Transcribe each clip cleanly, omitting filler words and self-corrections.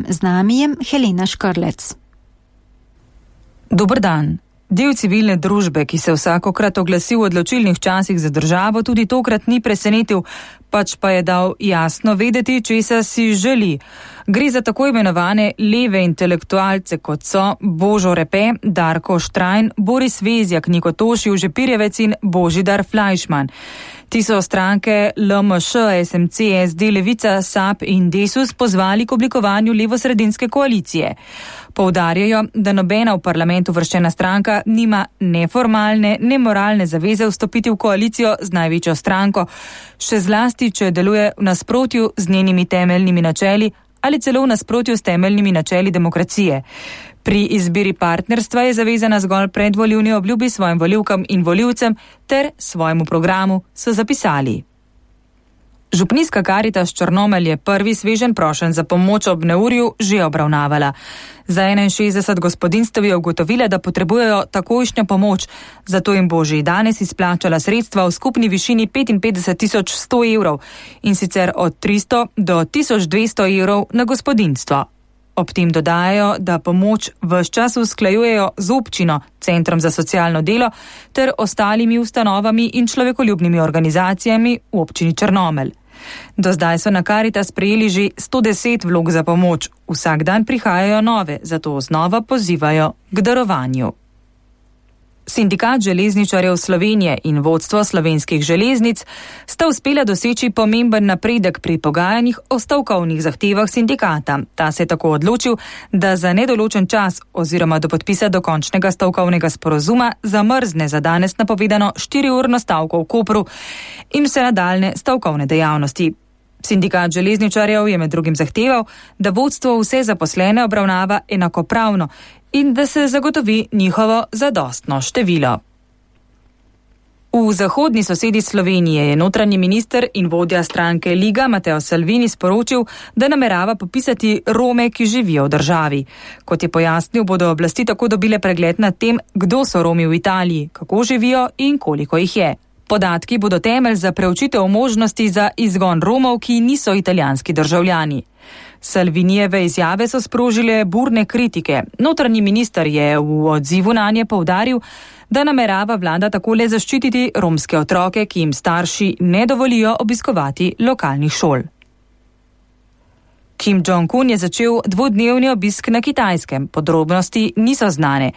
Z nami je Helena Škrlec. Dober dan. Del civilne družbe, ki se vsakokrat oglasi v odločilnih časih za državo, tudi tokrat ni presenetil, pač pa je dal jasno vedeti, česa si želi. Gre za tako imenovane leve intelektualce, kot so Božo Repe, Darko Štrajn, Boris Vezjak, Niko Tošiv, Žepirjevec in Božidar Flajšman. Ti so stranke LMŠ, SMC, SD, Levica, SAB in Desus pozvali k oblikovanju levosredinske koalicije. Poudarjajo, da nobena v parlamentu vrščena stranka nima ne formalne, ne moralne zaveze vstopiti v koalicijo z največjo stranko, še zlasti, če deluje v nasprotju z njenimi temeljnimi načeli ali celo v nasprotju s temeljnimi načeli demokracije. Pri izbiri partnerstva je zavezana zgolj predvolilni obljubi svojim volivkam in volivcem ter svojemu programu, so zapisali. Župnijska Karitas Črnomelj je prvi sveženj prošenj za pomoč ob neurju že obravnavala. Za 61 gospodinjstev je ugotovila, da potrebujejo takojšnjo pomoč, zato jim bo že danes izplačala sredstva v skupni višini 55.100 evrov in sicer od 300 do 1200 evrov na gospodinjstvo. Ob tem dodajajo, da pomoč ves čas usklajujejo z občino, Centrom za socialno delo ter ostalimi ustanovami in človekoljubnimi organizacijami v občini Črnomelj. Do zdaj so na Karitas prejeli že 110 vlog za pomoč. Vsak dan prihajajo nove, zato znova pozivajo k darovanju. Sindikat železničarjev Slovenije in vodstvo slovenskih železnic sta uspela doseči pomemben napredek pri pogajanjih o stavkovnih zahtevah sindikata. Ta se je tako odločil, da za nedoločen čas oziroma do podpisa dokončnega stavkovnega sporozuma zamrzne za danes napovedano 4-urno stavko v Kopru in vse nadaljne stavkovne dejavnosti. Sindikat železničarjev je med drugim zahteval, da vodstvo vse zaposlene obravnava enakopravno in da se zagotovi njihovo zadostno število. V zahodni sosedi Slovenije je notranji minister in vodja stranke Liga Mateo Salvini sporočil, da namerava popisati Rome, ki živijo v državi. Kot je pojasnil, bodo oblasti tako dobile pregled nad tem, kdo so Romi v Italiji, kako živijo in koliko jih je. Podatki bodo temelj za preučitev možnosti za izgon Romov, ki niso italijanski državljani. Salvinijeve izjave so sprožile burne kritike. Notranji minister je v odzivu nanje poudaril, da namerava vlada takole zaščititi romske otroke, ki jim starši ne dovolijo obiskovati lokalnih šol. Kim Jong-un je začel dvodnevni obisk na Kitajskem. Podrobnosti niso znane.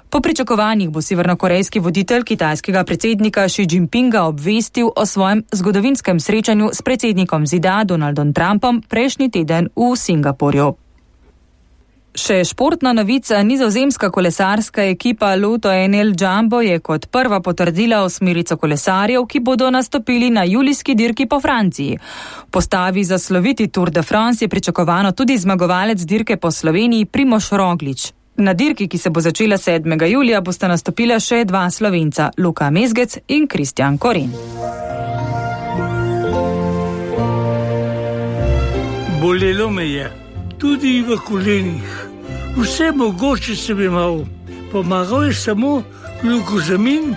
Po pričakovanjih bo severnokorejski voditelj kitajskega predsednika Xi Jinpinga obvestil o svojem zgodovinskem srečanju s predsednikom ZDA Donaldom Trumpom prejšnji teden v Singapurju. Še športna novica, nizozemska kolesarska ekipa Lotto NL Jumbo je kot prva potrdila osmerico kolesarjev, ki bodo nastopili na julijski dirki po Franciji. V postavi za sloviti Tour de France je pričakovano tudi zmagovalec dirke po Sloveniji Primož Roglič. Na dirki, ki se bo začela 7. julija, bosta nastopila še dva Slovenca, Luka Mezgec in Kristjan Koren. Bolelo me je, tudi v kolenih. Vse mogoče sem imel. Pomagal je samo glukozamin,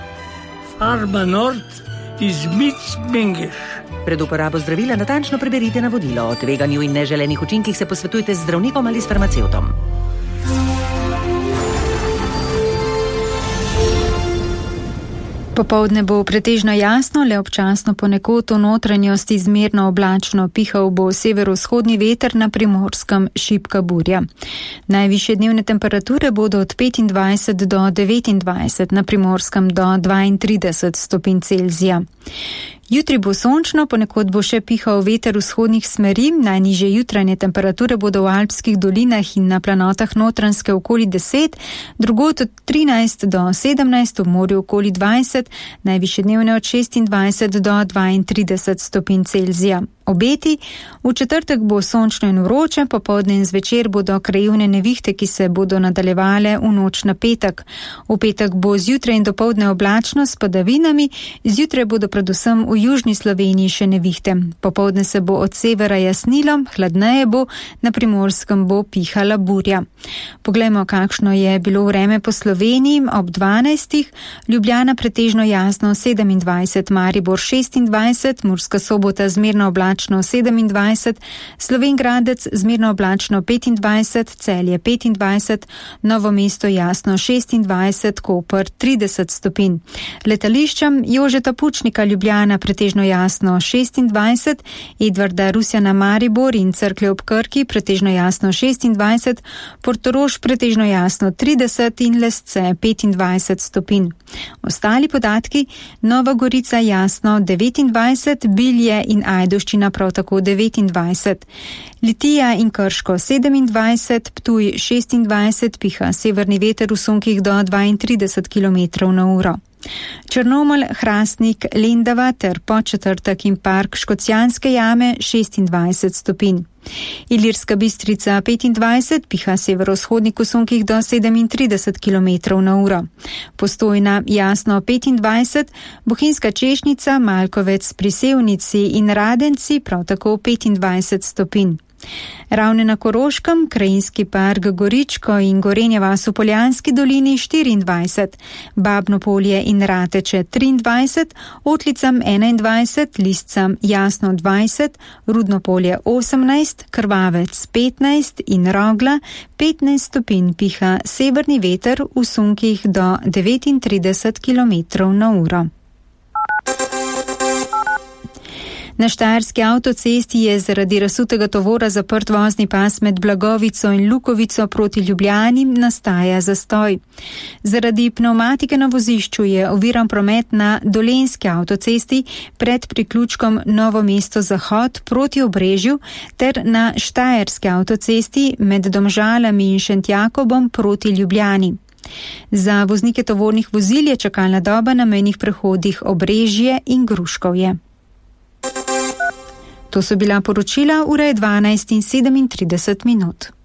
Farma Nord iz Mengeš. Pred uporabo zdravila natančno preberite navodilo. O tveganju in neželenih učinkih se posvetujte z zdravnikom ali s farmacevtom. Popoldne bo pretežno jasno, le občasno ponekod v notranjosti zmerno oblačno, pihal bo severovzhodni veter, na Primorskem šibka burja. Najvišje dnevne temperature bodo od 25 do 29, na Primorskem do 32 stopinj Celzija. Jutri bo sončno, ponekod bo še pihal veter vzhodnih smeri, najnižje jutranje temperature bodo v alpskih dolinah in na planotah Notranjske okoli 10, drugod od 13 do 17, v morju okoli 20, najvišje dnevne od 26 do 32 stopinj Celzija. Obeti, v četrtek bo sončno in vroče, popoldne in zvečer bodo krajevne nevihte, ki se bodo nadaljevale v noč na petek. V petek bo zjutraj in dopoldne oblačno s padavinami, zjutraj bodo predvsem v južni Sloveniji še nevihte. Popoldne se bo od severa jasnilo, hladneje bo, na Primorskem bo pihala burja. Poglejmo, kakšno je bilo vreme po Sloveniji ob 12. Ljubljana pretežno jasno 27, Maribor 26, Murska Sobota zmerno oblačno oblačno 27, Slovenj Gradec zmerno oblačno 25, Celje 25, Novo mesto jasno 26, Koper 30 stopinj. Letališčem Jožeta Pučnika Ljubljana pretežno jasno 26, Edvarda Rusjana Maribor in Cerklje ob Krki pretežno jasno 26, Portorož pretežno jasno 30 in Lesce 25 stopinj. Ostali podatki: Nova Gorica jasno 29, Bilje in Ajdovščina prav tako 29, Litija in Krško 27, Ptuj 26, piha severni veter v sunkih do 32 km/h. Črnomelj, Hrastnik, Lendava ter Podčetrtek in Park Škocjanske jame 26 stopinj. Ilirska Bistrica 25, piha severovzhodnik v sunkih do 37 km/h. Postojna jasno 25, Bohinjska Češnjica, Malkovec pri Sevnici in Radenci prav tako 25 stopinj. Ravne na Koroškem, Krajinski park Goričko in Gorenja vas v Poljanski dolini 24, Babno Polje in Rateče 23, Otlicam 21, Liscam jasno 20, Rudno Polje 18, Krvavec 15 in Rogla 15 stopinj, piha severni veter v sunkih do 39 km/h. Na Štajerski avtocesti je zaradi razsutega tovora zaprt vozni pas med Blagovico in Lukovico proti Ljubljani, nastaja zastoj. Zaradi pnevmatike na vozišču je oviran promet na Dolenjski avtocesti pred priključkom Novo mesto Zahod proti Obrežju ter na Štajerski avtocesti med Domžalami in Šentjakobom proti Ljubljani. Za voznike tovornih vozil je čakalna doba na mejnih prehodih Obrežje in Gruškovje. To so bila poročila, ura je 12:37.